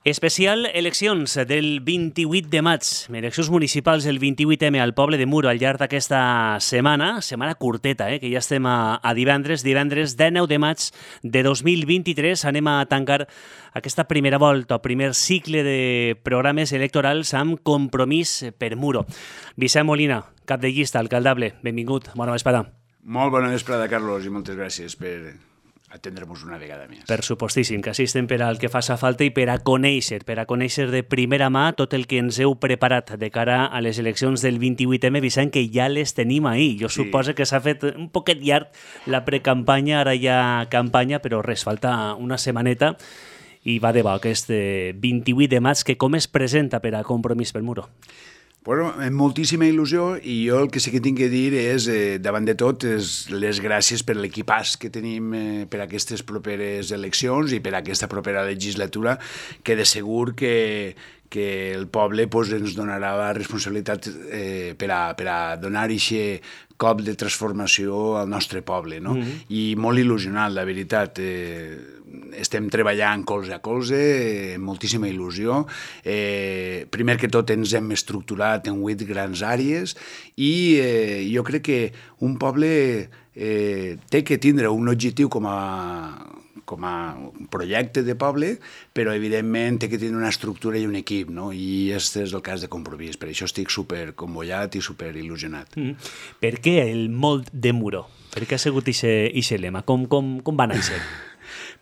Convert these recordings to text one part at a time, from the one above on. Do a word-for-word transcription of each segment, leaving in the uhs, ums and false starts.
Especial eleccions del vint-i-vuit de maig, eleccions municipals del vint-i-vuit eme al poble de Muro al llarg d'aquesta setmana, setmana curteta, eh, que ja estem a, a divendres, divendres dinou de maig de dos mil vint-i-tres. Anem a tancar aquesta primera volta, o primer cicle de programes electorals amb Compromís per Muro. Vicent Molina, cap de llista, alcaldable, benvingut, bona vesprada. Molt bona vesprada, Carlos, i moltes gràcies per atendre-nos una vegada més. Per supostíssim, que assistem per al que faça falta i per a conèixer, per a conèixer de primera mà tot el que ens heu preparat de cara a les eleccions del vint-i-vuit eme, Vicent, que ja les tenim ahir. Jo sí. Suposo que s'ha fet un poquet llarg la precampanya, ara hi ha campanya, però res, falta una setmaneta i va de bo aquest vint-i-vuit de maig, que com es presenta per a Compromís per Muro? Bueno, amb moltíssima il·lusió, i jo el que sí que tinc que dir és, eh, davant de tot, és les gràcies per l'equipàs que tenim eh, per a aquestes properes eleccions i per a aquesta propera legislatura, que de segur que, que el poble pues, ens donarà la responsabilitat eh, per, a, per a donar aquest cop de transformació al nostre poble, no? Mm-hmm. I molt il·lusionat, la veritat. Eh, estem treballant colze a colze, eh, moltíssima il·lusió. Eh, primer que tot ens hem estructurat en vuit grans àrees i eh, jo crec que un poble eh, té que tindre un objectiu com a com a projecte de poble, però evidentment té que tenir una estructura i un equip, no? I aquest és el cas de Compromís. Per això estic super convollat i super il·lusionat. Mm. Per què el molt de Muro? Per què ha sigut aquest lema? Com, com, com va néixer?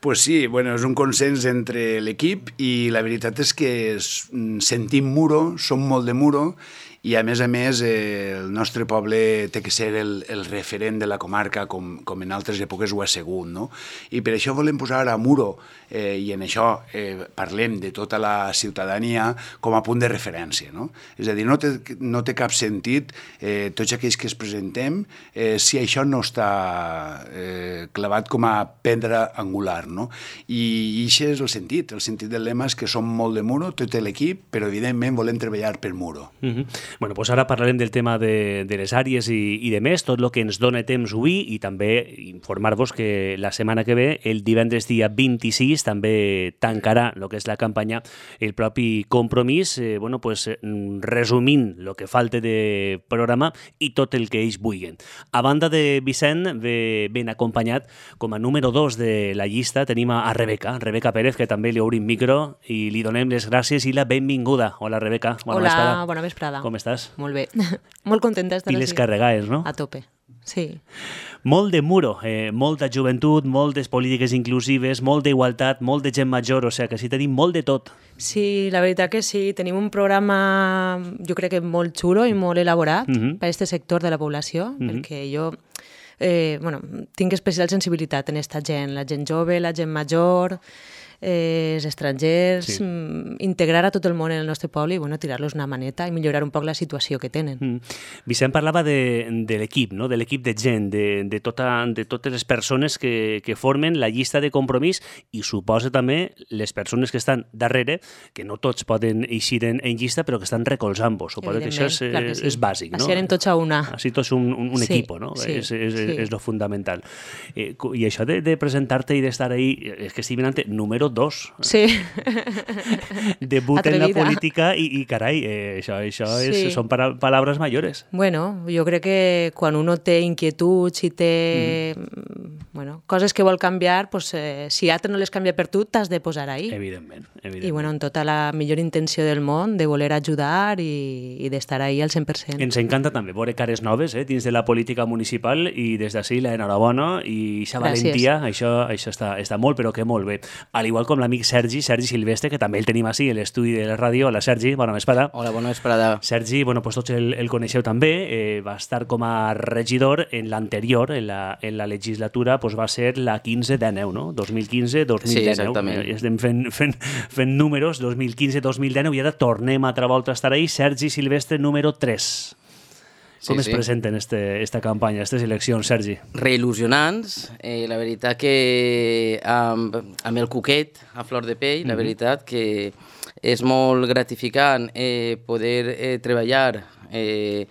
Pues sí, bueno, és un consens entre l'equip i la veritat és que sentim Muro, som molt de Muro i a més a més eh, el nostre poble té que ser el, el referent de la comarca com, com en altres èpoques ho ha sigut, no? I per això volem posar a Muro eh, i en això eh, parlem de tota la ciutadania com a punt de referència, no? És a dir, no té, no té cap sentit eh, tots aquells que es presentem eh, si això no està eh, clavat com a pedra angular, no? I, i això és el sentit, el sentit del lema és que som molt de Muro, tot l'equip, però evidentment volem treballar per Muro. Mm-hmm. Bueno, doncs ara parlarem del tema de, de les àrees i, i de més, tot el que ens dona temps avui, i també informar-vos que la setmana que ve, el divendres dia vint-i-sis, també tancarà el que és la campanya el propi Compromís, eh, bueno, pues, resumint el que falta de programa i tot el que ells vulguin. A banda de Vicent, ve ben acompanyat, com a número dos de la llista, tenim a Rebeca, Rebeca Pérez, que també li obrim micro i li donem les gràcies i la benvinguda. Hola, Rebeca. Bona Hola, vesprada. bona vesprada. Com estàs? Molt bé. Molt contenta d'estar Piles així. carregades, no? A tope, sí. Molt de Muro, eh, molta joventut, moltes polítiques inclusives, molt d'igualtat, molt de gent major, o sigui que sí tenim molt de tot. Sí, la veritat que sí. Tenim un programa, jo crec que molt xulo i molt elaborat mm-hmm. per a aquest sector de la població, mm-hmm. perquè jo eh, bueno, tinc especial sensibilitat en aquesta gent, la gent jove, la gent major, eh, els estrangers, sí. m, integrar a tot el món en el nostre poble i bueno, tirar-los una maneta i millorar un poc la situació que tenen. Mm. Vicent parlava de, de l'equip, no? De l'equip de gent, de, de, tota, de totes les persones que, que formen la llista de Compromís i suposa també les persones que estan darrere, que no tots poden eixir en, en llista, però que estan recolzant-vos. Suposo que això és, clar que sí. és bàsic, no? Així anem tots a una. Així tots un, un, un sí, equip, no? Sí, és, és, sí. és lo fundamental. Eh, I això de, de presentar-te i d'estar ahí, és que estic mirant número dos. Sí. Debut Atrevida. en la política i, i carai, eh, això, això és, sí. són para, paraules mayores. Bueno, jo crec que quan uno té inquietuds i té mm. bueno, coses que vol canviar, pues, eh, si altre no les canvia per tu, t'has de posar ahí. Evidentment, evidentment. I bueno, amb tota la millor intenció del món, de voler ajudar i, i d'estar ahí al cent per cent. Ens encanta també veure cares noves eh, dins de la política municipal i des d'ací l'enhorabona i aquesta valentia, això, això està, està molt, però que molt bé. Al igual com l'amic Sergi, Sergi Silvestre, que també el tenim així, a l'estudi de la ràdio. Hola, Sergi, bona vesprada. Hola, bona vesprada. Sergi, bueno, pues tots el, el coneixeu també, eh, va estar com a regidor en l'anterior, en la, en la legislatura, pues va ser la quinze dinou, no? dos mil quinze dos mil dinou. Sí, exactament. Eh, estem fent, fent, fent números, dos mil quinze dos mil dinou, i ara tornem a altra volta a estar ahí. Sergi Silvestre, número tres. Com sí, es sí. presenten este, esta campanya, aquestes eleccions, Sergi? Reil·lusionants. Eh, la veritat que amb, amb el cuquet a flor de pell, mm-hmm. la veritat que és molt gratificant eh, poder eh, treballar eh,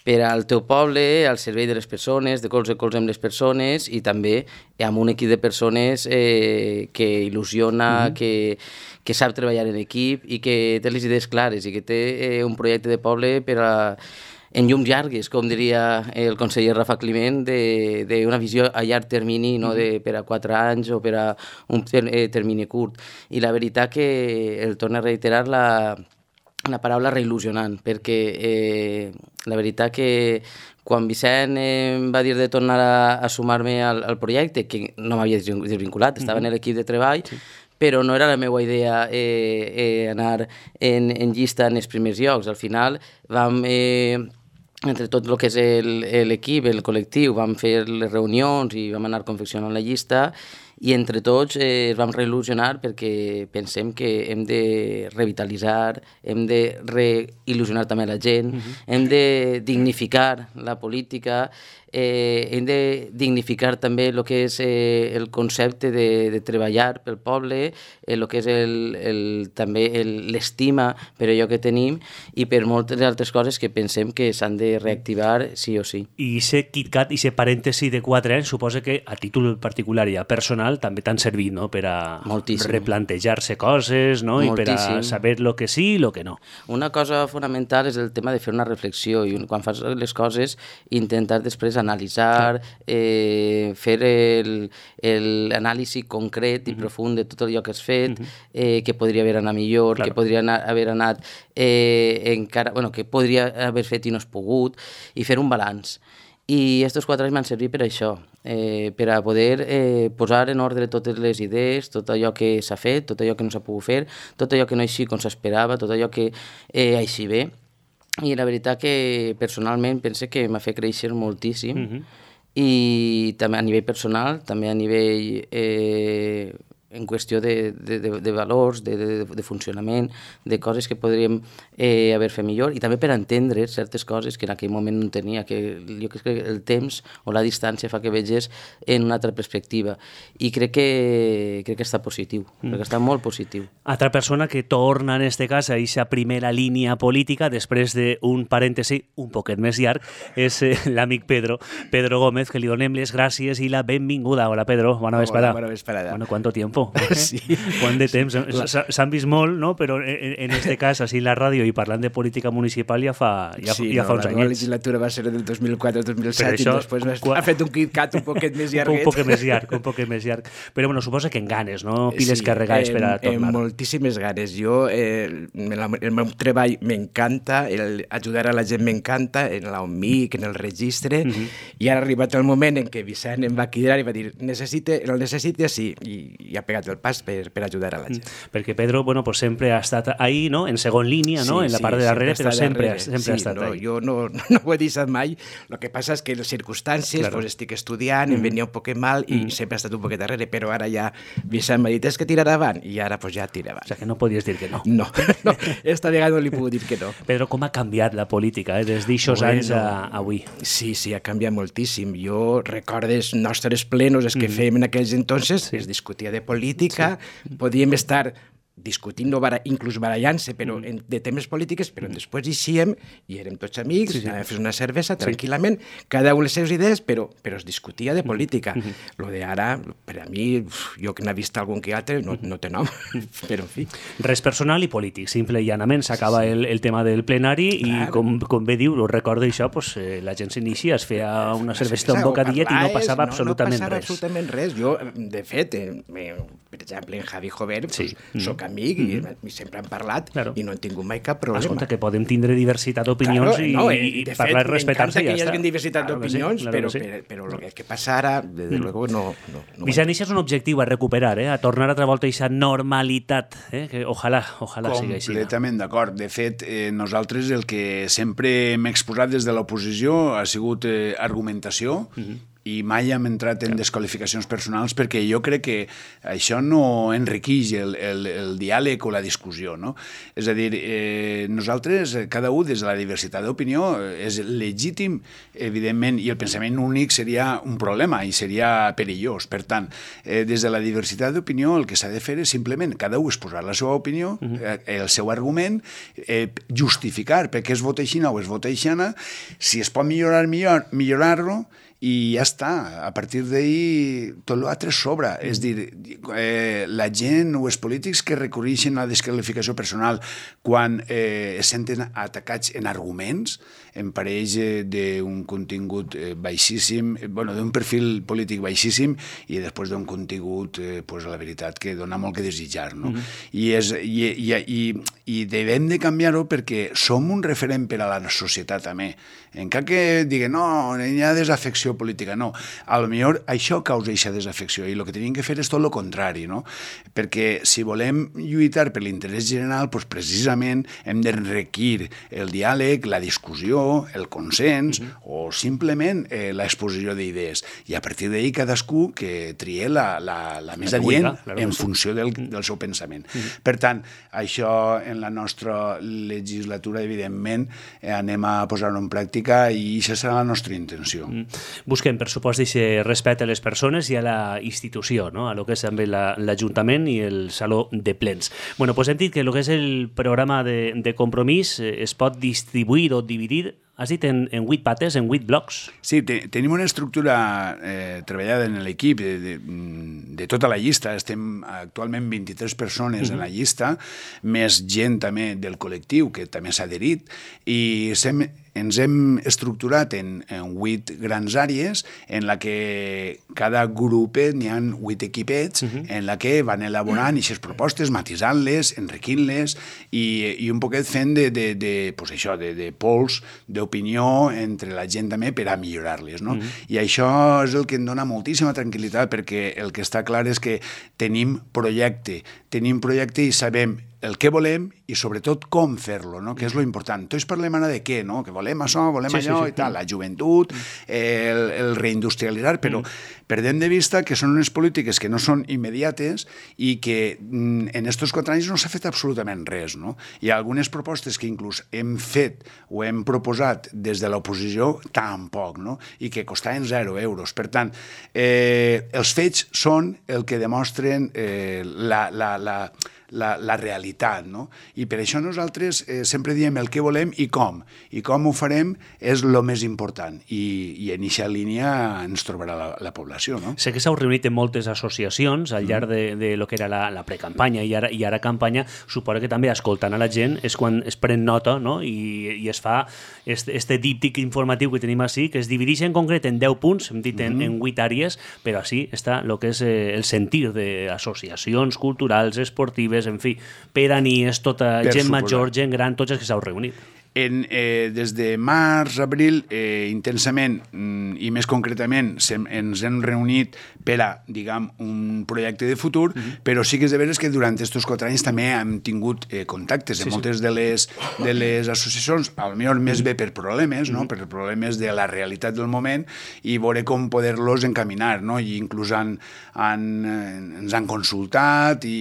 per al teu poble, al servei de les persones, de colze a colze amb les persones i també amb un equip de persones eh, que il·lusiona, mm-hmm. que, que sap treballar en equip i que té les idees clares i que té eh, un projecte de poble per a en llums llargues, com diria el conseller Rafa Climent, d'una visió a llarg termini, no de per a quatre anys o per a un ter eh, termini curt. I la veritat que el torno a reiterar la, la paraula reil·lusionant, perquè eh, la veritat que quan Vicent eh, em va dir de tornar a, a sumar-me al, al projecte, que no m'havia desvinculat, estava en l'equip de treball, sí. però no era la meva idea eh, eh, anar en, en llista en els primers llocs. Al final vam... Eh, entre tot el que és l'equip, el, el col·lectiu, vam fer les reunions i vam anar confeccionant la llista i entre tots eh, ens vam reil·lusionar perquè pensem que hem de revitalitzar, hem de reil·lusionar també la gent, uh-huh. hem de dignificar la política, eh, hem de dignificar també el que és eh, el concepte de, de treballar pel poble, el eh, que és el, el, també l'estima per allò que tenim i per moltes altres coses que pensem que s'han de reactivar sí o sí. I aquest KitKat, i aquest parèntesi de quatre anys, suposa que a títol particular i a personal també t'han servit, no?, per a Moltíssim. replantejar-se coses, no?, Moltíssim. i per a saber el que sí i el que no. Una cosa fonamental és el tema de fer una reflexió i quan fas les coses intentar després analitzar, eh, fer l'anàlisi concret i uh-huh. profund de tot allò que has fet, uh-huh. eh, que podria haver anat millor, claro. que podria anar, haver anat eh, encara, bueno, que podria haver fet i no has pogut, i fer un balanç. I aquests quatre anys m'han servit per això, eh, per a poder eh, posar en ordre totes les idees, tot allò que s'ha fet, tot allò que no s'ha pogut fer, tot allò que no així com s'esperava, tot allò que eh, així bé. I la veritat que personalment pense que m'ha fet créixer moltíssim uh-huh. i també a nivell personal, també a nivell eh, en qüestió de, de, de, de valors, de, de, de funcionament, de coses que podríem eh, haver fet millor i també per entendre certes coses que en aquell moment no tenia, que jo crec que el temps o la distància fa que veges en una altra perspectiva i crec que, crec que està positiu, mm. crec que està molt positiu. Altra persona que torna en este cas a aquesta primera línia política després d'un parèntesi un poquet més llarg és eh, l'amic Pedro, Pedro Gómez, que li donem les gràcies i la benvinguda. Hola Pedro, bona vesprada. Hola, bona vesprada. Bueno, ¿cuánto tiempo? Sí. Quant de temps? S'han vist molt, no? Però en, en este cas, així la ràdio i parlant de política municipal ja fa, ja, sí, ja no, fa uns anyets. La legislatura va ser del dos mil quatre al dos mil set això, i després qua... ha fet un KitKat un poquet més llarguet. Un poquet més llarg, un poquet més llarg. Però bueno, suposa que en ganes, no? Piles sí, carregades per a tornar. Sí, moltíssimes ganes. Jo, eh, el meu treball m'encanta, ajudar a la gent m'encanta, en l'OMIC, en el registre, uh-huh. i ara ha arribat el moment en què Vicent em va cridar i va dir necessite, el necessite sí, i, i ha pegat el pas per, per ajudar a la gent. Perquè Pedro, bueno, pues sempre ha estat ahí, no? En segon línia, no? Sí, en la sí, part de darrere, però sempre, darrere. sempre sí, ha estat no, ahí. Jo no, no ho he deixat mai. El que passa és que les circumstàncies, claro. pues estic estudiant, mm. em venia un poquet mal i mm. sempre ha estat un poquet darrere, però ara ja Vicent m'ha dit, és que tirar avant, i ara pues ja tira avant. O sigui que no podies dir que no. No, no, esta vegada no li puc dir que no. Pedro, com ha canviat la política, eh? Des d'aixòs bueno, anys a avui? Sí, sí, ha canviat moltíssim. Jo recordo els nostres plenos, els que mm. fèiem en aquells entonces, sí. es discutia de política, sí. podíem estar discutint, no bara, inclús barallant-se però mm. en, de temes polítiques, però mm. després eixíem i érem tots amics, sí, sí. anàvem a fer una cervesa tranquil·lament, sí. cada un les seves idees, però, però es discutia de política. Mm. Lo de ara, per a mi, jo que n'he vist algun que altre, no, no té nom, però en fi. Res personal i polític, simple i llanament. S'acaba sí. el, el tema del plenari Clar. i, com, com bé diu, ho recorda això, pues, eh, la gent s'inicia, es feia una cervesa, un bocadillet i no passava no, absolutament no passava res. absolutament res. Jo, de fet, eh, per exemple, en Javi Jover, sí. pues, soc amic i, mm-hmm. i sempre hem parlat claro. i no hem tingut mai cap problema. Escolta, que podem tindre diversitat d'opinions claro, i, no, i parlar i respectar-se i ja està. M'encanta que hi hagi diversitat claro d'opinions, sí, claro però, sí. però, però el que passa ara, desde mm. luego, no... no, no Vicent, això és un objectiu a recuperar, eh? A tornar altra volta a aquesta normalitat, eh? Que ojalà, ojalà sigui així. Completament d'acord. De fet, eh, nosaltres el que sempre hem exposat des de l'oposició ha sigut eh, argumentació mm-hmm. i mai hem entrat en desqualificacions personals perquè jo crec que això no enriqueix el, el, el diàleg o la discussió, no? És a dir, eh, nosaltres, cada un des de la diversitat d'opinió, és legítim, evidentment, i el pensament únic seria un problema i seria perillós. Per tant, eh, des de la diversitat d'opinió el que s'ha de fer és simplement cada un exposar la seva opinió, eh, el seu argument, eh, justificar per què es vota així o es vota aixana, si es pot millorar, millor, millorar-lo, i ja està, a partir d'ahir tot l'altre sobra. Mm. És dir, eh, la gent o els polítics que recorreixen a la desqualificació personal quan eh, es senten atacats en arguments, en pareix eh, d'un contingut eh, baixíssim, eh, bueno, d'un perfil polític baixíssim i després d'un contingut, eh, pues, la veritat, que dona molt que desitjar, no? Mm. I, és, i, i, i, i devem de canviar-ho perquè som un referent per a la societat també. Encara que diguen, no, hi ha desafecció política, no. A lo millor això causa aquesta desafecció i el que tenim que fer és tot el contrari, no? Perquè si volem lluitar per l'interès general, doncs precisament hem d'enriquir el diàleg, la discussió, el consens, uh-huh. o simplement eh, l'exposició d'idees. I a partir d'ahir cadascú que trie la, la, la més adient claro, en funció del, del seu pensament. Uh-huh. Per tant, això en la nostra legislatura, evidentment, eh, anem a posar-ho en pràctica i això serà la nostra intenció. Mm. Busquem, per supost, aquest respecte a les persones i a la institució, no? A lo que és també l'Ajuntament i el Saló de Plens. Bueno, pues hem dit que el que és el programa de, de Compromís es pot distribuir o dividir, has dit, en, en vuit pates, en vuit blocs? Sí, te, tenim una estructura eh, treballada en l'equip de, de, de tota la llista. Estem actualment vint-i-tres persones uh-huh. en la llista, més gent també del col·lectiu que també s'ha adherit, i sem, ens hem estructurat en, en vuit grans àrees en la que cada grupet n'hi ha vuit equipets uh-huh. en la que van elaborant aquestes propostes, matisant-les, enriquint-les i, i un poquet fent de, de, de, pues això, de, de pols, d'opinió entre la gent també per a millorar-les, no? Uh-huh. I això és el que em dona moltíssima tranquil·litat perquè el que està clar és que tenim projecte, tenim projecte i sabem el que volem i sobretot com fer-lo, no? Que és lo important. Tots parlem ara de què, no? Que volem això, volem sí, allò sí, sí. i tal, la joventut, el, el reindustrialitzar, però mm. perdem de vista que són unes polítiques que no són immediates i que mm, en aquests quatre anys no s'ha fet absolutament res, no? Hi ha algunes propostes que inclús hem fet o hem proposat des de l'oposició tampoc, no? I que costaven zero euros. Per tant, eh, els fets són el que demostren eh, la, la, la La, la realitat, no? I per això nosaltres eh, sempre diem el que volem i com. I com ho farem és el més important. I, i en aquesta línia ens trobarà la, la població, no? Sé que s'heu reunit en moltes associacions al llarg de, de lo que era la, la precampanya i ara, i ara campanya. Suposo que també escoltant a la gent és quan es pren nota, no? I, i es fa este, este díptic informatiu que tenim així, que es divideix en concret en deu punts, hem dit en, mm-hmm. en vuit àrees, però així està el que és eh, el sentir d'associacions culturals, esportives, en fi, per a nies, tota per gent suposar. Major, gent gran, tots els que s'heu reunit. En, eh, des de març, abril, eh, intensament, mm, i més concretament, sem, ens hem reunit per a, diguem, un projecte de futur, uh-huh. però sí que és de veres que durant aquests quatre anys també hem tingut eh, contactes sí, en moltes sí. de, les, de les associacions, potser més bé per problemes, no? uh-huh. per problemes de la realitat del moment, i veure com poder-los encaminar, no? I inclús han, han, ens han consultat, i,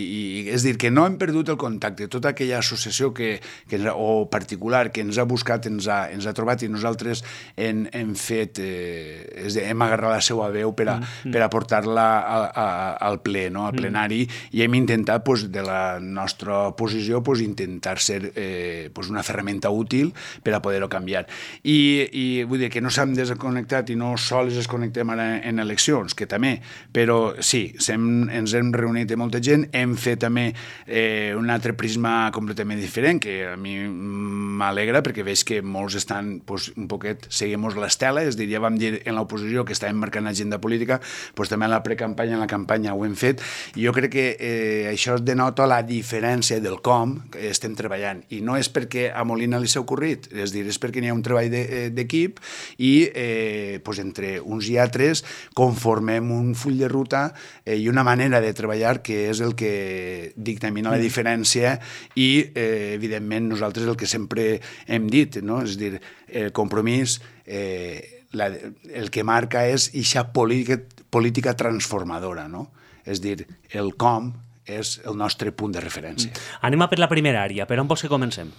i és dir, que no hem perdut el contacte. Tota aquella associació que, que, o particular que ens ha buscat, ens ha, ens ha trobat i nosaltres hem, hem fet, eh, és dir, hem agarrat la seva veu per a, mm. per a portar-la a, a, al ple, no? Al plenari, mm. i hem intentat, pues, de la nostra posició, pues, intentar ser eh, pues, una ferramenta útil per a poder-ho canviar. I, i vull dir que no s'han desconnectat i no sols es connectem ara en eleccions, que també, però sí, sem, ens hem reunit amb molta gent, hem fet també eh, un altre prisma completament diferent, que a mi m'alegra perquè veig que molts estan pues, un poquet, seguim-nos l'estela, és a dir, ja vam dir en l'oposició que estàvem marcant agenda política, pues, també en la precampanya, en la campanya ho hem fet, i jo crec que eh, això denota la diferència del com que estem treballant, i no és perquè a Molina li s'ha ocorrit, és a dir, és perquè n'hi ha un treball d'equip i eh, pues, entre uns i altres conformem un full de ruta eh, i una manera de treballar que és el que dictamina la diferència i, eh, evidentment, nosaltres el que sempre hem dit, no? És a dir, el compromís, eh, la, el que marca és eixa política, política transformadora, no? És dir, el com és el nostre punt de referència. Mm. Anem a per la primera àrea. Per on vols que comencem?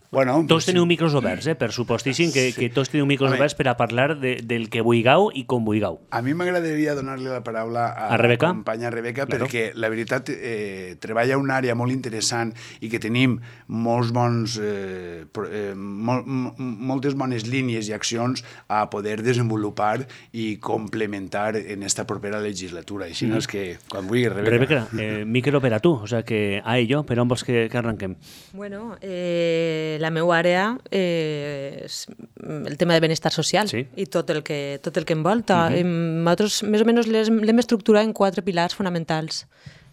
Bueno, tots teniu micros oberts, eh? Per supostíssim que, sí. que tots teniu micros a oberts per a parlar de, del que vulgueu i com vulgueu. A mi m'agradaria donar-li la paraula a, a Rebeca? la companya Rebeca, claro. perquè la veritat eh, treballa una àrea molt interessant i que tenim molts bons, eh, eh, mol, moltes bones línies i accions a poder desenvolupar i complementar en esta propera legislatura. Així mm. no és que, quan vulgui, Rebeca. Rebeca, eh, micro per a tu, o sea que a ello, per on vols que, que arranquem? Bueno, eh... la meva àrea eh, és el tema de benestar social sí. i tot el que, tot el que envolta. Uh-huh. Nosaltres, més o menys, l'hem estructurat en quatre pilars fonamentals.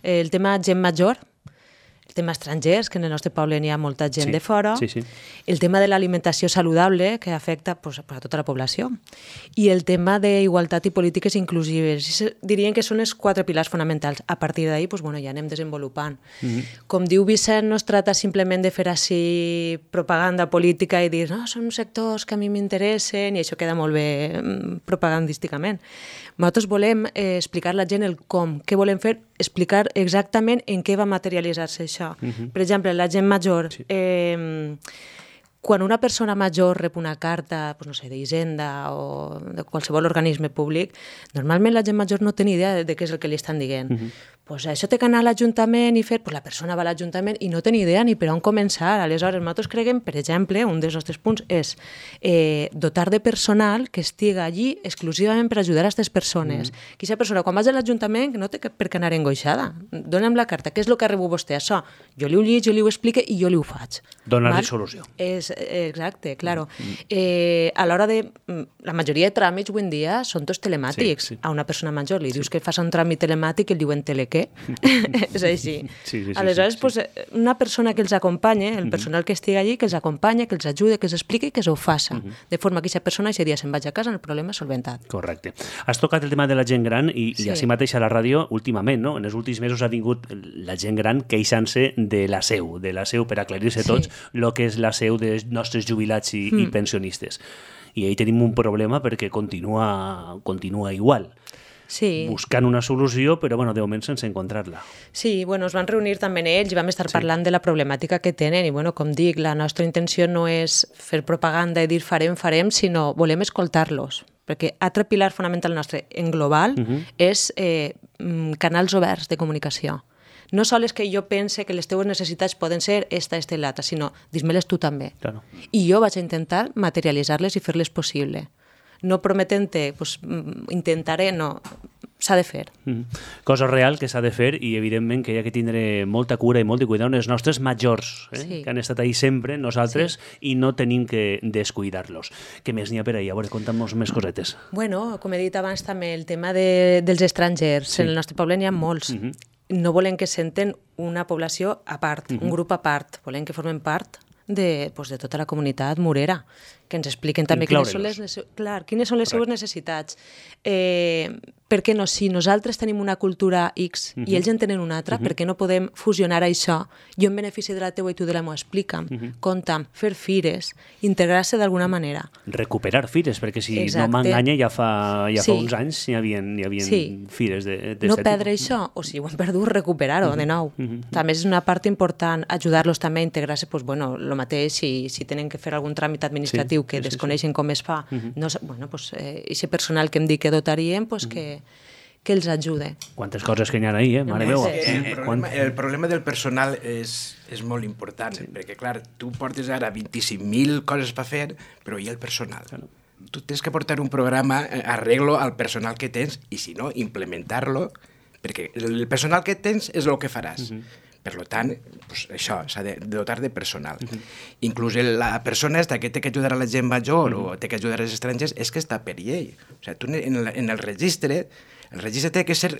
El tema gent major, el tema estrangers, que en el nostre poble n'hi ha molta gent sí. de fora, sí, sí. el tema de l'alimentació saludable, que afecta pues, a tota la població, i el tema d'igualtat i polítiques inclusives. Dirien que són els quatre pilars fonamentals. A partir d'ahir pues, bueno, ja anem desenvolupant. Mm-hmm. Com diu Vicent, no es tracta simplement de fer així propaganda política i dir no, són sectors que a mi m'interessen i això queda molt bé propagandísticament. Nosaltres volem eh, explicar a la gent el com, què volem fer, explicar exactament en què va materialitzar-se això. Uh-huh. Per exemple, la gent major, sí. eh, quan una persona major rep una carta, pues no sé, d'Hisenda o de qualsevol organisme públic, normalment la gent major no té ni idea de, de què és el que li estan dient. Uh-huh. Pues això té que anar a l'Ajuntament i fer, pues la persona va a l'Ajuntament i no té ni idea ni per on començar. Aleshores, nosaltres creiem, per exemple, un dels nostres punts és eh, dotar de personal que estiga allí exclusivament per ajudar a aquestes persones. Mm. Que aquesta persona, quan vas a l'Ajuntament, no té per què anar engoixada. Dóna'm la carta, què és el que ha rebut vostè? Això, jo li ho llig, jo li ho explique i jo li ho faig. Donar-li solució. És, exacte, claro. Mm. Eh, a l'hora de... La majoria de tràmits avui en dia són tots telemàtics. Sí, sí. A una persona major li dius sí. que fas un tràmit telemàtic i el diuen tele què? És així. Sí, sí, sí, aleshores, sí, sí. Pues, una persona que els acompanya, el personal uh-huh. que estigui allí, que els acompanya, que els ajude, que els expliqui i que ho faça. Uh-huh. De forma que aquesta persona aquest dia se'n vaig a casa, el problema és solventat. Correcte. Has tocat el tema de la gent gran i, sí. i així mateix a la ràdio, últimament, no? En els últims mesos ha vingut la gent gran queixant-se de la seu, de la seu per aclarir-se tots el sí. que és la seu dels nostres jubilats i, mm. i pensionistes. I ahí tenim un problema perquè continua, continua igual. Sí. Buscant una solució, però bueno, de moment sense encontrar-la. Sí, bueno, es van reunir també ells i vam estar sí. parlant de la problemàtica que tenen i bueno, com dic, la nostra intenció no és fer propaganda i dir farem, farem, sinó volem escoltar-los, perquè altre pilar fonamental nostre en global uh-huh. és eh, canals oberts de comunicació. No sols que jo pense que les teves necessitats poden ser esta, esta i l'altra, sinó dis-me-les tu també. Claro. I jo vaig a intentar materialitzar-les i fer-les possible. No prometent-te, pues, intentaré, no, s'ha de fer. Mm-hmm. Cosa real que s'ha de fer i evidentment que hi ha que tindre molta cura i molt de cuidar els nostres majors, eh? Sí. Que han estat ahí sempre, nosaltres, sí. i no tenim que descuidar-los. Què més n'hi ha per ahí? A veure, conta'm-nos més cosetes. Bueno, com he dit abans també, el tema de, dels estrangers. Sí. En el nostre poble n'hi ha molts. Mm-hmm. No volem que senten una població a part, mm-hmm. un grup a part. Volem que formen part de, pues, de tota la comunitat morera, que ens expliquen també quines són les, clar, quines són les seues necessitats. Eh, per què no? Si nosaltres tenim una cultura X uh-huh. i ells en tenen una altra, uh-huh. per què no podem fusionar això? Jo en benefici de la teua i tu de la meva, explica'm, uh-huh. conta'm, fer fires, integrar-se d'alguna manera. Recuperar fires, perquè si Exacte. no m'enganya ja, fa, ja sí. fa uns anys hi havia, hi havia sí. fires d'aquest No perdre tipus. Això, o si ho hem perdut, recuperar-ho uh-huh. de nou. Uh-huh. També és una part important, ajudar-los també a integrar-se, pues, bueno, el mateix, si, si tenen que fer algun tràmit administratiu sí. que sí, desconeixen sí. com es fa, uh-huh. no, bueno, pues, eh, ese personal que em dic que dotaríem, pues, uh-huh. que, que els ajude. Quantes coses que n'hi ha ahí, eh? Mare meva. El, el, problema, el problema del personal és, és molt important, sí. perquè, clar, tu portes ara vint-i-cinc mil coses per fer, però hi ha el personal. Claro. Tu tens que portar un programa, arreglo al personal que tens, i si no, implementar-lo, perquè el personal que tens és el que faràs. Uh-huh. Per tant, pues, això, s'ha de dotar de personal. Uh-huh. Inclús la persona esta que té que ajudar a la gent major uh-huh. o té que ajudar als estrangers és que està per llei. O sigui, tu en el, en el registre, el registre té que ser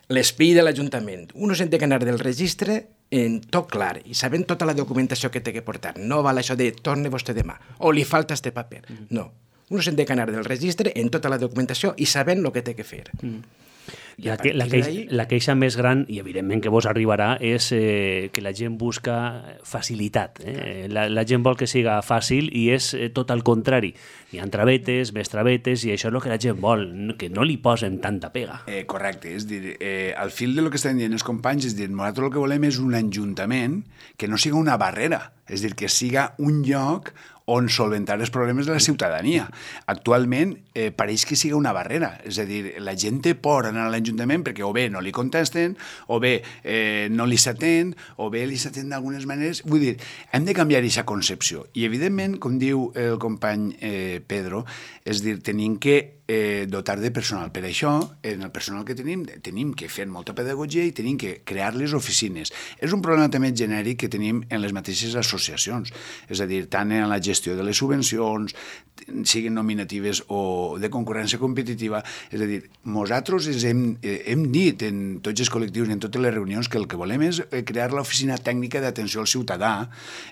l'espill de l'Ajuntament. Uno se'n té que anar del registre en tot clar i sabent tota la documentació que té que portar. No val això de torne vostè demà o li falta este paper. Uh-huh. No. Uno se'n té que anar del registre en tota la documentació i sabent el que té que fer. Uh-huh. I la, a que, la, partir queixa, d'ahí... la queixa més gran, i evidentment que vos arribarà, és eh, que la gent busca facilitat. Eh? La, la gent vol que siga fàcil i és eh, tot al contrari. Hi ha travetes, més travetes, i això és el que la gent vol, que no li posen tanta pega. Eh, correcte, és dir, eh, al fil de lo que estan dient els companys, és dir, nosaltres el que volem és un ajuntament que no siga una barrera, és dir, que siga un lloc on solventar els problemes de la ciutadania. Actualment eh, pareix que siga una barrera, és a dir, la gent té por anar a l'Ajuntament perquè o bé no li contesten, o bé eh, no li s'atén, o bé li s'atén d'algunes maneres. Vull dir, hem de canviar aquesta concepció. I, evidentment, com diu el company eh, Pedro, és dir, tenim que eh, dotar de personal. Per això, en el personal que tenim, tenim que fer molta pedagogia i tenim que crear les oficines. És un problema també genèric que tenim en les mateixes associacions, és a dir, tant en la gestió de les subvencions, siguin nominatives o de concurrència competitiva, és a dir, nosaltres hem, hem dit en tots els col·lectius i en totes les reunions que el que volem és crear l'oficina tècnica d'atenció al ciutadà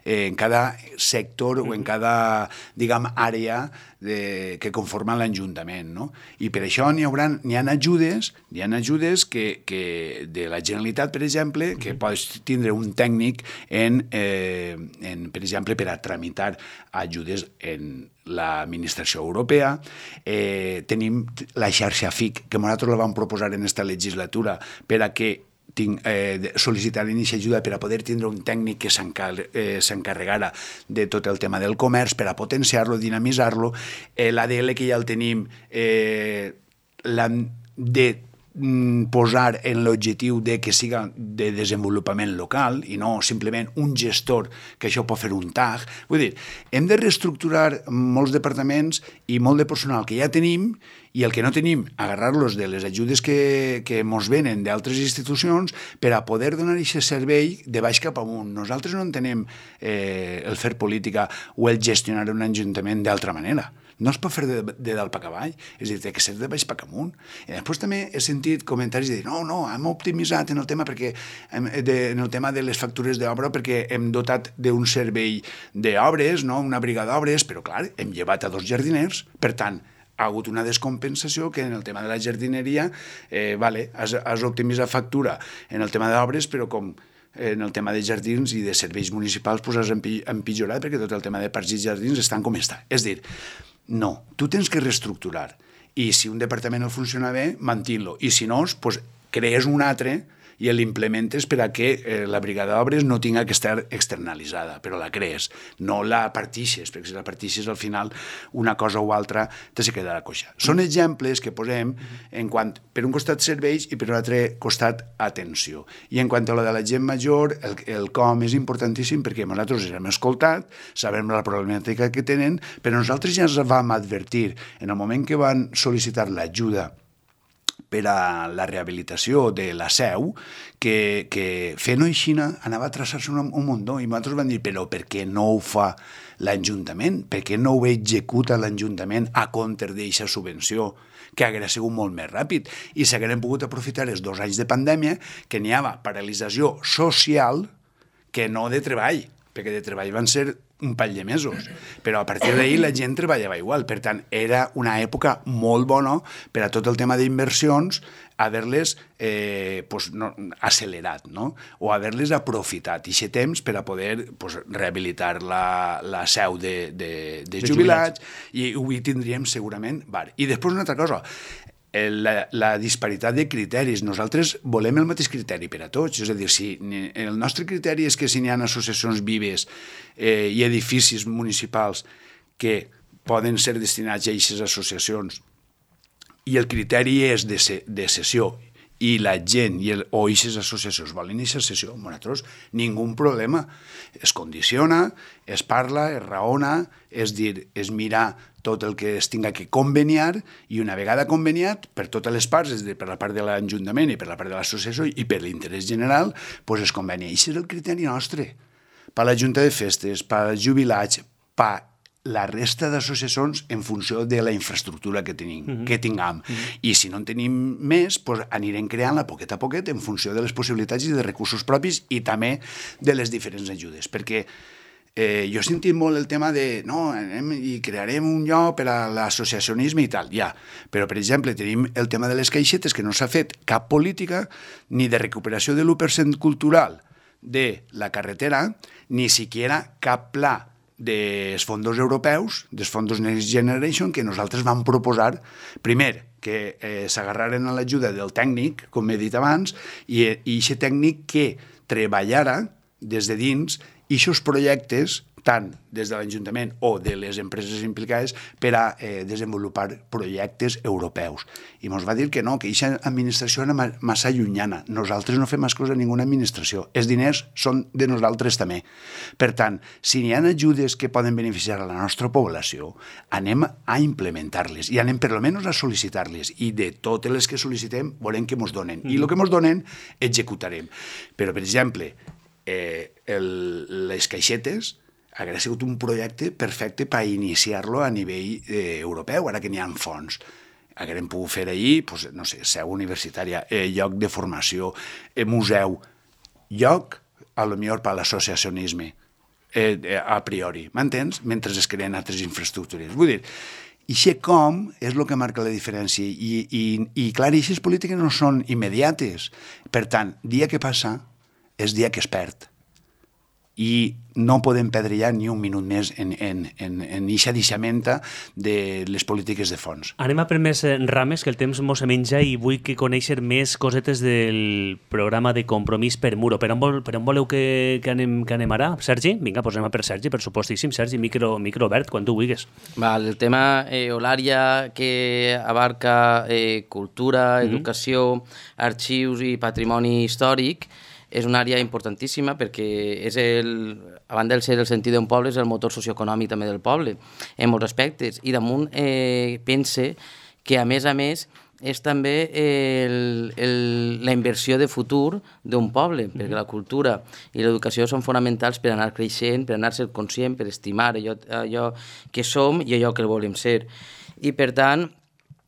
eh, en cada sector o en cada, diguem, àrea de, que conforma l'Ajuntament, no? I per això n'hi haurà, n'hi ha ajudes, n'hi ha ajudes que, que de la Generalitat, per exemple, que pots tindre un tècnic en, eh, en, per exemple, per a tramitar ajudes en l'administració europea. Eh, tenim la xarxa F I C, que nosaltres la vam proposar en aquesta legislatura per a que tinc, eh, sol·licitar aquesta ajuda per a poder tindre un tècnic que s'encarregara eh, de tot el tema del comerç, per a potenciar-lo, dinamitzar-lo. Eh, l'A D L que ja el tenim, eh, l'hem de posar en l'objectiu de que siga de desenvolupament local i no simplement un gestor que això pot fer un tag. Vull dir, hem de reestructurar molts departaments i molt de personal que ja tenim i el que no tenim, agarrar-los de les ajudes que, que mos venen d'altres institucions per a poder donar aquest servei de baix cap amunt. Nosaltres no entenem eh, el fer política o el gestionar un ajuntament d'altra manera. No es pot fer de, de dalt per avall, és a dir, té que ser de baix per amunt. I després també he sentit comentaris de dir no, no, hem optimitzat en el tema perquè hem, de, en el tema de les factures d'obra perquè hem dotat d'un servei d'obres, no? Una brigada d'obres, però clar, hem llevat a dos jardiners, per tant, ha hagut una descompensació que en el tema de la jardineria, eh, vale, has, has optimitzat factura en el tema d'obres, però com en el tema de jardins i de serveis municipals pues has empitjorat perquè tot el tema de parcs i jardins estan com està. És dir, no, tu tens que reestructurar i si un departament no funciona bé, mantint-lo, i si no, pues, crees un altre i l'implementes per a que eh, la brigada d'obres no tinga que estar externalitzada, però la crees, no la partixes, perquè si la partixes al final una cosa o altra te se quedarà coixa. Són exemples que posem en quant, per un costat serveis i per un altre costat atenció. I en quant a la de la gent major, el, el com és importantíssim perquè nosaltres els hem escoltat, sabem la problemàtica que tenen, però nosaltres ja ens vam advertir en el moment que van sol·licitar l'ajuda per a la rehabilitació de la seu, que, que fent-ho així anava a traçar-se un, un muntó, i nosaltres vam dir, però per què no ho fa l'Ajuntament? Per què no ho executa l'Ajuntament a compte d'aquesta subvenció, que hauria sigut molt més ràpid? I s'hagueren pogut aprofitar els dos anys de pandèmia, que n'hi havia paralització social que no de treball, perquè de treball van ser un pall de mesos, però a partir d'ahir la gent treballava igual, per tant era una època molt bona per a tot el tema d'inversions, haver-les eh, pues, no, accelerat, no? O haver-les aprofitat, i aquest temps per a poder pues, rehabilitar la, la seu de, de, de, de jubilats, jubilats, i ho tindríem segurament. Bar. I després una altra cosa, La, la disparitat de criteris. Nosaltres volem el mateix criteri per a tots, és a dir, si el nostre criteri és que si n'hi ha associacions vives eh, i edificis municipals que poden ser destinats a aquestes associacions i el criteri és de, se, de cessió i la gent i el, o aquestes associacions volen aquesta cessió, nosaltres ningú problema. Es condiciona, es parla, es raona, és dir, és mirar tot el que es tinga que conveniar i una vegada conveniat per totes les parts, és a dir, per la part de l'Ajuntament i per la part de l'associació i per l'interès general, doncs es convenia. I això és el criteri nostre. Per la Junta de Festes, per als jubilats, per la resta d'associacions en funció de la infraestructura que tenim, mm-hmm. que tinguem. Mm-hmm. I si no en tenim més, doncs anirem creant-la poquet a poquet en funció de les possibilitats i de recursos propis i també de les diferents ajudes. Perquè Eh, jo he sentit molt el tema de no, anem i crearem un lloc per a l'associacionisme i tal, ja. Però, per exemple, tenim el tema de les caixetes, que no s'ha fet cap política ni de recuperació de l'u per cent cultural de la carretera, ni siquiera cap pla dels fons europeus, dels fons Next Generation, que nosaltres vam proposar, primer, que eh, s'agarraren a l'ajuda del tècnic, com he dit abans, i aquest tècnic que treballara des de dins aquests projectes, tant des de l'Ajuntament o de les empreses implicades, per a eh, desenvolupar projectes europeus. I ens va dir que no, que aquesta administració era massa llunyana. Nosaltres no fem més coses a ninguna administració. Els diners són de nosaltres també. Per tant, si n'hi ha ajudes que poden beneficiar a la nostra població, anem a implementar-les i anem per almenys a sol·licitar-les. I de totes les que sol·licitem, volem que ens donen. I el que ens donen, executarem. Però, per exemple, eh, el, les caixetes hauria sigut un projecte perfecte per iniciar-lo a nivell eh, europeu, ara que n'hi ha fons. Hauríem pogut fer allí, pues, no sé, seu universitària, eh, lloc de formació, eh, museu, lloc, a lo millor per l'associacionisme, eh, eh, a priori, m'entens? Mentre es creen altres infraestructures. Vull dir, i això com és el que marca la diferència. I, i, i clar, aquestes polítiques no són immediates. Per tant, dia que passa és dia que es perd. I no podem perdre ja ni un minut més en, en, en, en eixa deixamenta de les polítiques de fons. Anem a per més rames, que el temps mos se menja i vull que conèixer més cosetes del programa de Compromís per Muro. Per on, vol, per on voleu que, que, anem, que anem ara, Sergi? Vinga, doncs anem a per Sergi, per supostíssim. Sergi, micro, micro obert, quan tu vulguis. Val, el tema eh, o l'àrea que abarca eh, cultura, educació, mm-hmm. arxius i patrimoni històric és una àrea importantíssima perquè és el, a banda de ser el sentit d'un poble, és el motor socioeconòmic també del poble, en molts aspectes. I damunt eh, pense que, a més a més, és també el, el, la inversió de futur d'un poble, perquè la cultura i l'educació són fonamentals per anar creixent, per anar ser conscient, per estimar allò, allò que som i allò que volem ser. I, per tant,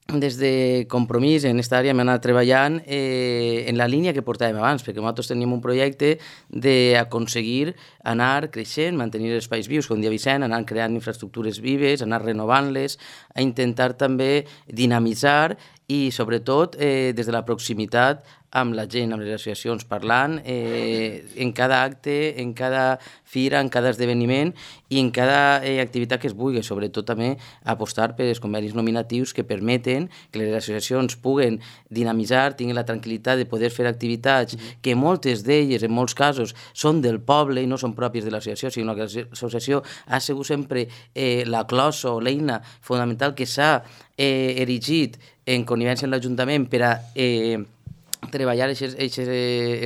des de Compromís en aquesta àrea hem anat treballant eh, en la línia que portàvem abans, perquè nosaltres teníem un projecte d'aconseguir anar creixent, mantenir els espais vius, com dia Vicent, anar creant infraestructures vives, anar renovant-les, a intentar també dinamitzar i, sobretot, eh, des de la proximitat amb la gent, amb les associacions, parlant eh, en cada acte, en cada fira, en cada esdeveniment i en cada eh, activitat que es vulgui, sobretot també apostar per els convenis nominatius que permeten que les associacions puguen dinamitzar, tinguin la tranquil·litat de poder fer activitats que moltes d'elles, en molts casos, són del poble i no són pròpies de l'associació, sinó que l'associació ha sigut sempre eh, la closa o l'eina fonamental que s'ha eh, erigit en connivència amb l'Ajuntament per a eh, treballar aquests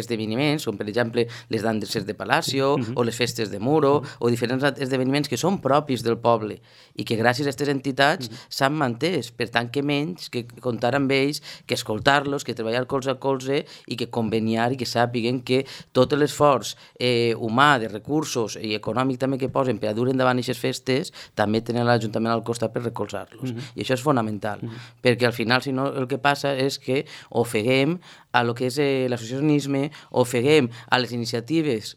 esdeveniments, com per exemple les danses de Palacio, uh-huh. o les festes de Muro, uh-huh. o diferents esdeveniments que són propis del poble i que gràcies a aquestes entitats uh-huh. s'han mantès. Per tant, que menys que comptar amb ells, que escoltar-los, que treballar colze a colze i que conveniar i que sàpiguen que tot l'esforç eh, humà, de recursos i econòmic també que posen per a dur endavant aquestes festes, també tenen l'Ajuntament al costat per recolzar-los. Uh-huh. I això és fonamental, uh-huh. perquè al final, si no, el que passa és que ofeguem a lo que és eh, l'associacionisme, ofeguem a les iniciatives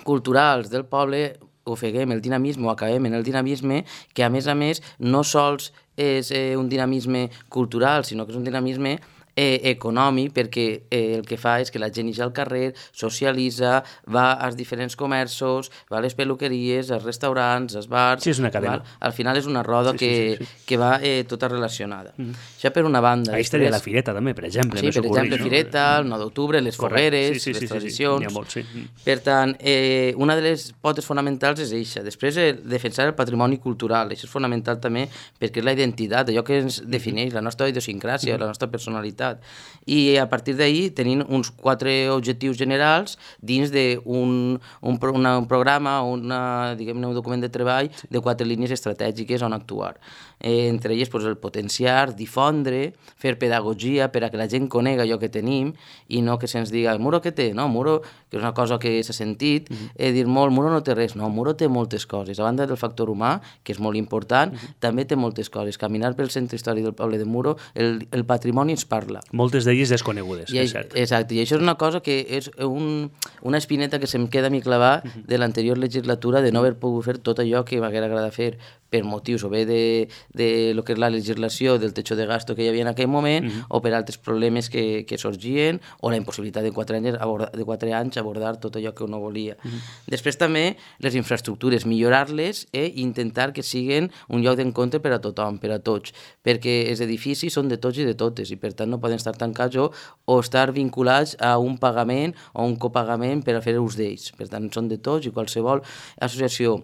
culturals del poble, ofeguem el dinamisme o acabem en el dinamisme, que a més a més no sols és eh, un dinamisme cultural, sinó que és un dinamisme eh, econòmic, perquè eh, el que fa és que la gent ix al carrer, socialitza, va als diferents comerços, va a les peluqueries, als restaurants, als bars... Sí, és una cadena. Val? Al final és una roda sí, que, sí, sí, sí. que va eh, tota relacionada. Mm. Això per una banda. Ahí estaria la fireta, també, per exemple. Sí, per exemple, no? Fireta, el nou d'octubre, les fogueres, sí, sí, les sí, tradicions... Sí, sí. Molt, sí. Per tant, eh, una de les potes fonamentals és eixa. Després, eh, defensar el patrimoni cultural. Això és fonamental també perquè és la identitat, allò que ens defineix, la nostra idiosincràsia, mm. la nostra personalitat. I a partir d'ahir tenim uns quatre objectius generals dins d'un un, un, un programa, una, diguem-ne, un document de treball de quatre línies estratègiques on actuar. Eh, entre elles, pues, el potenciar, difondre, fer pedagogia per a que la gent conega allò que tenim i no que se'ns diga, el Muro què té? No, Muro, que és una cosa que s'ha sentit, uh-huh. eh, dir molt, Muro no té res. No, Muro té moltes coses. A banda del factor humà, que és molt important, uh-huh. també té moltes coses. Caminar pel centre històric del poble de Muro, el, el patrimoni ens parla. parlar. Moltes d'elles desconegudes, I, és cert. Exacte, i això és una cosa que és un, una espineta que se'm queda a mi clavar uh -huh. de l'anterior legislatura de no haver pogut fer tot allò que m'haguera agradat fer per motius o bé de, de lo que és la legislació del techo de gasto que hi havia en aquell moment uh -huh. o per altres problemes que, que sorgien o la impossibilitat de quatre anys abordar, de quatre anys abordar tot allò que uno volia. Uh -huh. Després també les infraestructures, millorar-les i intentar que siguin un lloc d'encontre per a tothom, per a tots, perquè els edificis són de tots i de totes i per tant no poden estar tancats o, o estar vinculats a un pagament o un copagament per a fer ús d'ells. Per tant, són de tots i qualsevol associació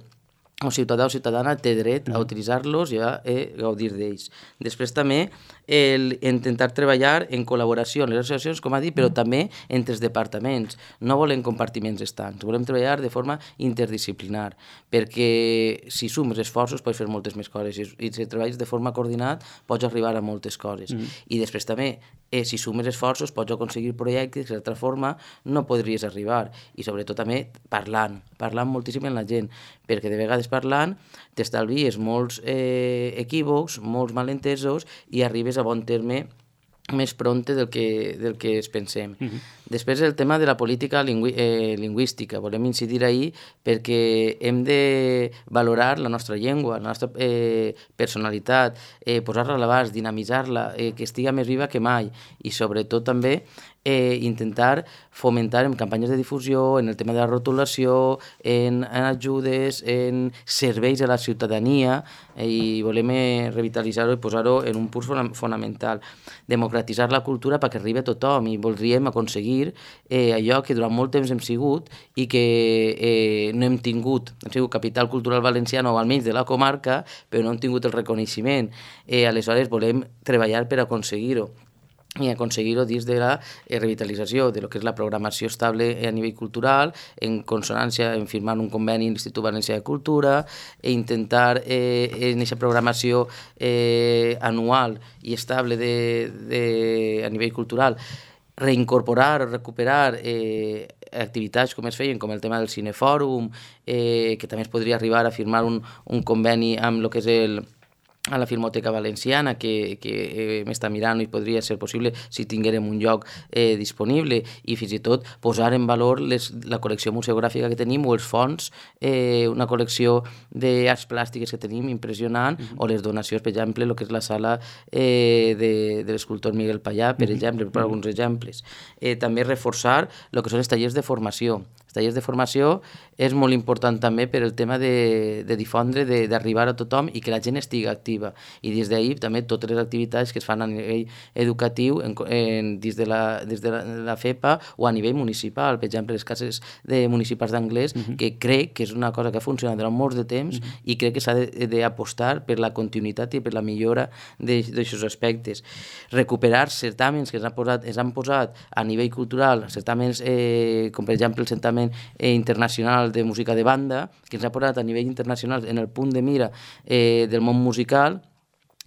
o ciutadà o ciutadana té dret a utilitzar-los i a eh, gaudir d'ells. Després també el intentar treballar en col·laboració amb les associacions, com ha dit, però també entre els departaments. No volem compartiments estancs, volem treballar de forma interdisciplinar, perquè si sumes esforços pots fer moltes més coses i si treballes de forma coordinada pots arribar a moltes coses. Mm. I després també, eh, si sumes esforços pots aconseguir projectes que d'altra forma no podries arribar. I sobretot també parlant, parlant moltíssim amb la gent, perquè de vegades parlant t'estalvies molts eh, equívocs, molts malentesos i arribes a bon terme més pronte del que, del que es pensem. Uh -huh. Després el tema de la política lingüí eh, lingüística. Volem incidir ahí perquè hem de valorar la nostra llengua, la nostra eh, personalitat, eh, posar-la a l'abast, dinamitzar-la, eh, que estiga més viva que mai i sobretot també eh, intentar fomentar en campanyes de difusió, en el tema de la rotulació, en, en ajudes, en serveis a la ciutadania eh, i volem eh, revitalitzar-ho i posar-ho en un punt fonamental. Democratitzar la cultura perquè arribi a tothom i voldríem aconseguir eh, allò que durant molt temps hem sigut i que eh, no hem tingut. Hem sigut capital cultural valenciana o almenys de la comarca, però no hem tingut el reconeixement. Eh, aleshores volem treballar per aconseguir-ho i aconseguir-ho dins de la eh, revitalització de lo que és la programació estable a nivell cultural, en consonància en firmar un conveni amb l'Institut Valencià de Cultura e intentar eh, en aquesta programació eh, anual i estable de, de, a nivell cultural reincorporar o recuperar eh, activitats com es feien, com el tema del cinefòrum, eh, que també es podria arribar a firmar un, un conveni amb el que és el a la Filmoteca Valenciana, que, que eh, m'està mirant i podria ser possible si tinguérem un lloc eh, disponible i fins i tot posar en valor les, la col·lecció museogràfica que tenim o els fons, eh, una col·lecció d'arts plàstiques que tenim impressionant mm-hmm. o les donacions, per exemple, el que és la sala eh, de, de l'escultor Miguel Pallà, per mm-hmm. exemple, per mm-hmm. alguns exemples. Eh, també reforçar el que són els tallers de formació. Els tallers de formació és molt important també per el tema de, de difondre, d'arribar a tothom i que la gent estigui activa. I des d'ahir també totes les activitats que es fan a nivell educatiu en, en, des, de la, des de la, la FEPA o a nivell municipal. Per exemple, les cases de municipals d'anglès, uh-huh. que crec que és una cosa que ha funcionat durant molts de temps uh-huh. i crec que s'ha d'apostar per la continuïtat i per la millora d'aixòs aspectes. Recuperar certàmens que s'han posat, es han posat a nivell cultural, certàmens eh, com per exemple el certamen eh, internacional de música de banda, que ens ha posat a nivell internacional en el punt de mira eh, del món musical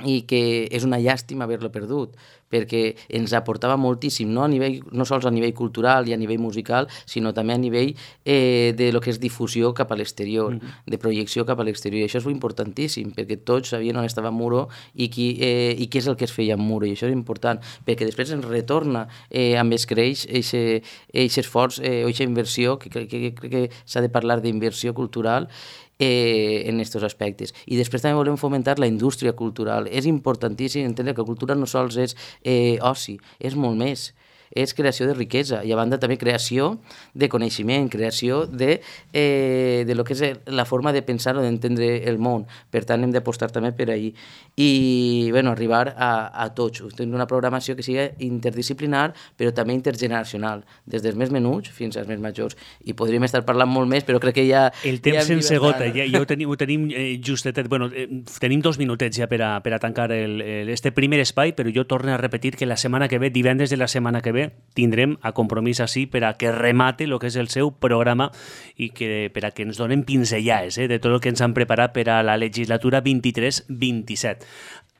i que és una llàstima haver-lo perdut, perquè ens aportava moltíssim, no, a nivell, no sols a nivell cultural i a nivell musical, sinó també a nivell eh, de lo que és difusió cap a l'exterior, mm-hmm. de projecció cap a l'exterior. I això és importantíssim, perquè tots sabien on estava Muro i, qui, eh, i què és el que es feia amb Muro, i això és important, perquè després ens retorna eh, amb es creix aquest esforç eh, o aquesta inversió, que crec que, que, que s'ha de parlar d'inversió cultural, Eh, en aquests aspectes. I després també volem fomentar la indústria cultural. És importantíssim entendre que la cultura no sols és eh, oci, és molt més. És creació de riquesa i a banda també creació de coneixement, creació de, eh, de lo que és la forma de pensar o d'entendre el món. Per tant, hem d'apostar també per ahí. I bueno, arribar a, a tots. Tenir una programació que sigui interdisciplinar, però també intergeneracional, des dels més menuts fins als més majors. I podríem estar parlant molt més, però crec que ja... El temps ja sense gota, ja, ja ho tenim, ho tenim eh, justetet. Bueno, eh, tenim dos minutets ja per a, per a tancar el, el, este primer espai, però jo torno a repetir que la setmana que ve, divendres de la setmana que ve, tindrem a Compromís així per a que remate el que és el seu programa i que, per a que ens donen pinzellades eh, de tot el que ens han preparat per a la legislatura vint-i-tres vint-i-set.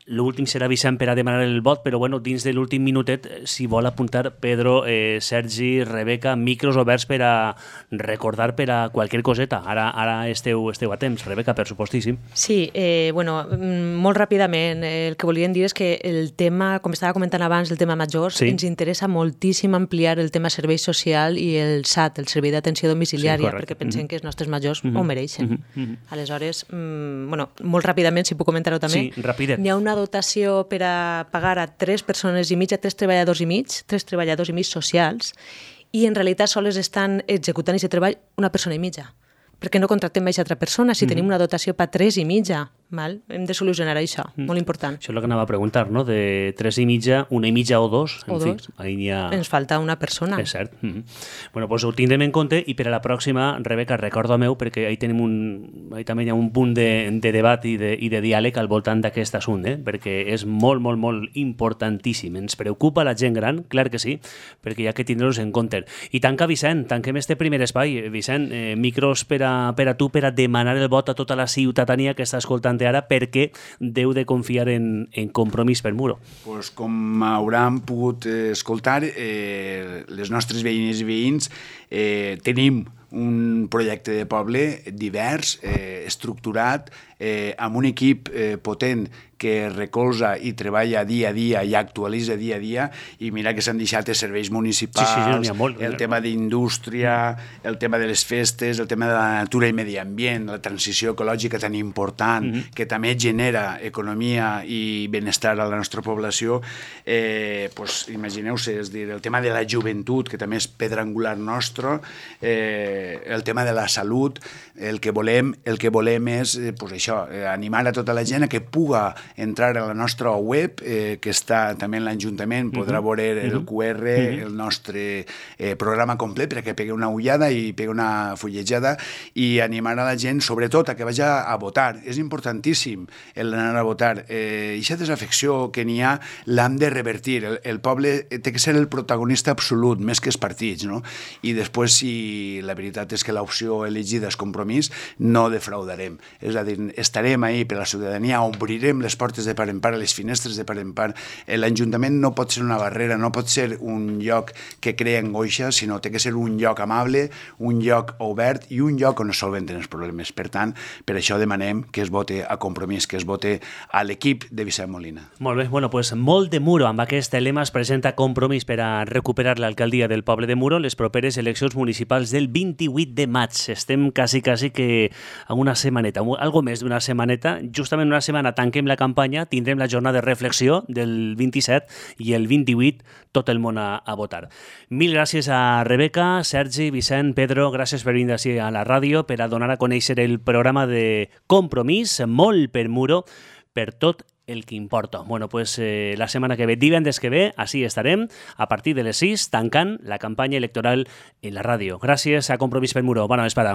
l'últim serà Vicent per a demanar el vot, però bueno, dins de l'últim minutet, si vol apuntar Pedro, eh, Sergi, Rebeca, micros oberts per a recordar per a qualsevol coseta. Ara, ara esteu, esteu a temps. Rebeca, per supostíssim. Sí, eh, bueno, molt ràpidament, el que volíem dir és que el tema, com estava comentant abans, el tema majors, sí. ens interessa moltíssim ampliar el tema servei social i el S A T, el Servei d'Atenció Domiciliària, sí, perquè pensem mm-hmm. que els nostres majors mm-hmm. ho mereixen. Mm-hmm. Aleshores, mm, bueno, molt ràpidament, si puc comentar-ho també, sí, ràpidet. N'hi ha una dotació per a pagar a tres persones i mig, a tres treballadors i mig, tres treballadors i mig socials, i en realitat sols estan executant aquest treball una persona i mitja. Perquè no contractem més altra persona si mm-hmm. tenim una dotació per tres i mitja. Mal? Hem de solucionar això, mm. molt important. Això és el que anava a preguntar, no? De tres i mitja, una i mitja o dos. O en dos. Fi, ahí ha... Ens falta una persona. És cert. Mm -hmm. Bueno, doncs ho tindrem en compte i per a la pròxima, Rebeca, recorda meu, perquè ahí tenim un, ahí també hi ha un punt de, de debat i de, i de diàleg al voltant d'aquest assumpte, eh? Perquè és molt, molt, molt importantíssim. Ens preocupa la gent gran, clar que sí, perquè hi ha que tindre-los en compte. I tanca, Vicent, tanquem este primer espai. Vicent, eh, micros per a, per a tu, per a demanar el vot a tota la ciutadania que està escoltant ara, perquè deu de confiar en, en Compromís per Muro. Pues, com hauran pogut eh, escoltar, eh, les nostres veïnes i veïns eh, tenim un projecte de poble divers, eh, estructurat, eh, amb un equip eh, potent que recolza i treballa dia a dia i actualitza dia a dia, i mira que s'han deixat els serveis municipals, sí, sí, sí, molt, el tema d'indústria, el tema de les festes, el tema de la natura i medi ambient, la transició ecològica tan important, mm-hmm. que també genera economia i benestar a la nostra població. Eh, pues, imagineu-se, és dir, el tema de la joventut, que també és pedra angular nostre, eh, el tema de la salut, el que volem, el que volem és eh, pues això, eh, animar a tota la gent a que puga entrar a la nostra web, eh, que està també en l'Ajuntament, podrà veure el Q R, el nostre eh, programa complet, perquè pegui una ullada i pegui una fullejada, i animar a la gent, sobretot, a que vagi a votar. És importantíssim l'anar a votar. Eh, aquesta desafecció que n'hi ha l'hem de revertir. El, el poble té que ser el protagonista absolut, més que els partits, no? I després, si la veritat és que l'opció elegida és Compromís, no defraudarem. És a dir, estarem ahí per la ciutadania, obrirem les portes de par en part, les finestres de par en part. L'Ajuntament no pot ser una barrera, no pot ser un lloc que crea angoixa, sinó té que ser un lloc amable, un lloc obert i un lloc on es solventen els problemes. Per tant, per això demanem que es vote a Compromís, que es vote a l'equip de Vicent Molina. Molt bé, bueno, pues molt de Muro. Amb aquest lema es presenta Compromís per a recuperar l'alcaldia del poble de Muro les properes eleccions municipals del vint-i-vuit de maig. Estem quasi, quasi que a una setmaneta, algo més d'una setmaneta. Justament una setmana tanquem la campanya, tindrem la jornada de reflexió del vint-i-set i el vint-i-vuit tot el món a, a votar. Mil gràcies a Rebeca, Sergi, Vicent, Pedro, gràcies per venir així a la ràdio per a donar a conèixer el programa de Compromís, molt per Muro, per tot el que importa. Bueno, pues eh, la setmana que ve, divendres que ve, així estarem, a partir de les sis, tancant la campanya electoral en la ràdio. Gràcies a Compromís per Muro. Bona vesprada.